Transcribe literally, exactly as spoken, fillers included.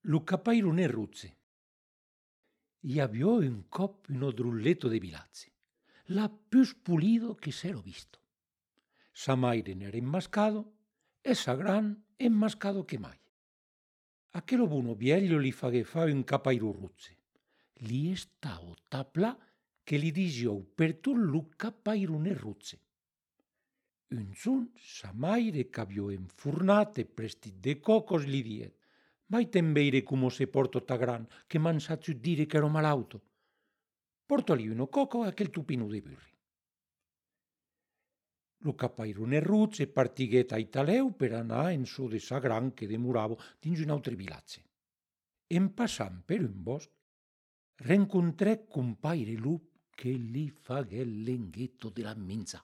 Lu capairone ruzze. I aviò un cop uno drulletto de Vilazzi, la pius pulido che s'ero visto. Sa maire n'era inmascado e sa gran enmascado che mai. Aquelo buno viello li faghé fa un capairu ruzze. Li estao taplà che li dixiou per tot lu capairone ruzze. Un sun sa maire qu'aviò enfurnat e prestit de cocos li diet: «Vai te'n veire como se porto ta gran, que m'an saciu dire qu'ero malauto. Portoli uno coco e aquel tupinu de burri». Lu capairone ruzze partiguèt a Italeu per anar en çò de sa gran que demorava dins un autre vilatge. En passant per un bosc, rencontrèc compaire lup que li faguèt l'enghetto de la minza.